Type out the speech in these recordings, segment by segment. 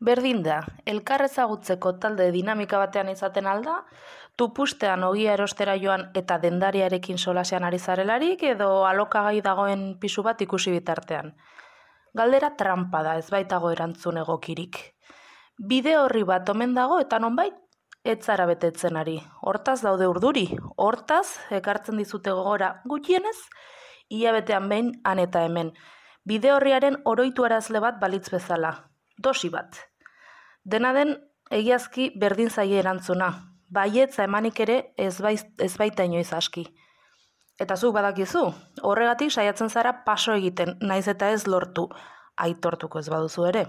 Berdin da, elkar ezagutzeko talde dinamika batean izaten alda, tupustean ogia erostera joan eta dendariarekin solasean ari zarelarik edo alokagai dagoen pisu bat ikusi bitartean. Galdera trampa da, ez baitago erantzun egokirik. Bide horri bat omen dago eta nonbait ez zara betetzen ari. Hortaz daude urduri, hortaz ekartzen dizute gogora gutxienez, hilabetean behin han eta hemen. Bide horriaren oroitu arazle bat balitz bezala, dosi bat. Dena den, egiazki berdin zaie erantzuna, baietza emanik ere ez baita inoiz aski. Eta zuk badakizu, horregatik saiatzen zara paso egiten, naiz eta ez lortu, aitortuko ez baduzu ere.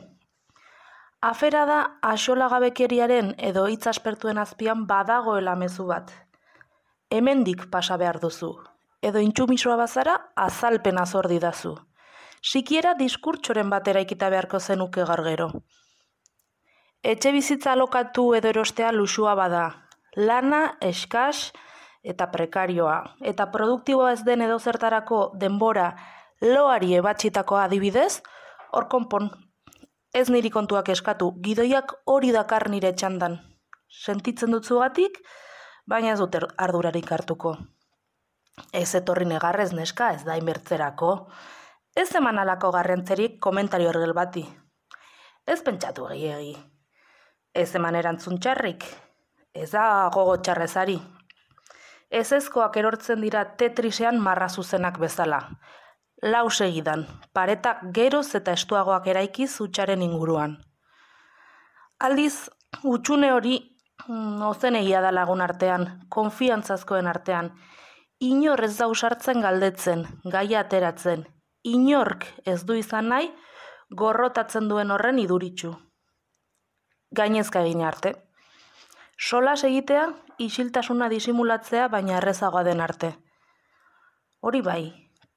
Afera da axolagabekeriaren edo hitz aspertuen azpian badagoela mezu bat. Hemendik pasa behar duzu, edo intsumisoa bazara azalpena zor didazu. Sikiera diskurtsoren bat eraikita beharko zenuke gaur gero. Etxe bizitza alokatu edo erostea luxua bada, lana eskas eta prekarioa, eta produktiboa ez den edozertarako denbora loari ebatxitakoa adibidez, hor konpon. Ez niri kontuak eskatu, gidoiak hori dakar nire txandan. Sentitzen dut zugatik, baina ez dut ardurarik hartuko. Ez etorri negarrez neska, ez da inbertzerako. Ez eman alako garrantzerik komentario ergel bati. Ez pentsatu gehiegi. Ez eman erantzun txarrik. Ez da gogo txarrezari. Ezezkoak erortzen dira Tetrisean marra zuzenak bezala. Lau segidan, pareta geroz eta estuagoak eraikiz hutsaren inguruan. Aldiz, hutsune hori ozenegia da lagun artean, konfiantzazkoen artean. Inor ez da usartzen galdetzen, gaia ateratzen. Inork ez du izan nahi, gorrotatzen duen horren iduritsu. Gainezka egin arte. Solas egitea, isiltasuna disimulatzea baina errezagoa den arte. Hori bai,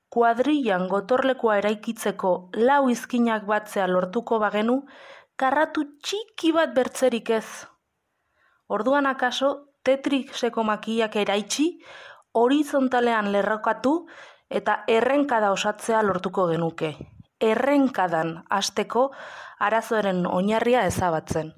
kuadrillan gotorlekua eraikitzeko lau izkinak batzea lortuko bagenu, karratu txiki bat bertzerik ez. Orduan akaso, Tetriseko makillak eraitsi, horizontalean lerrokatu eta errenkada osatzea lortuko genuke. Errenkadan hasteko arazoaren oinarria ezabatzen.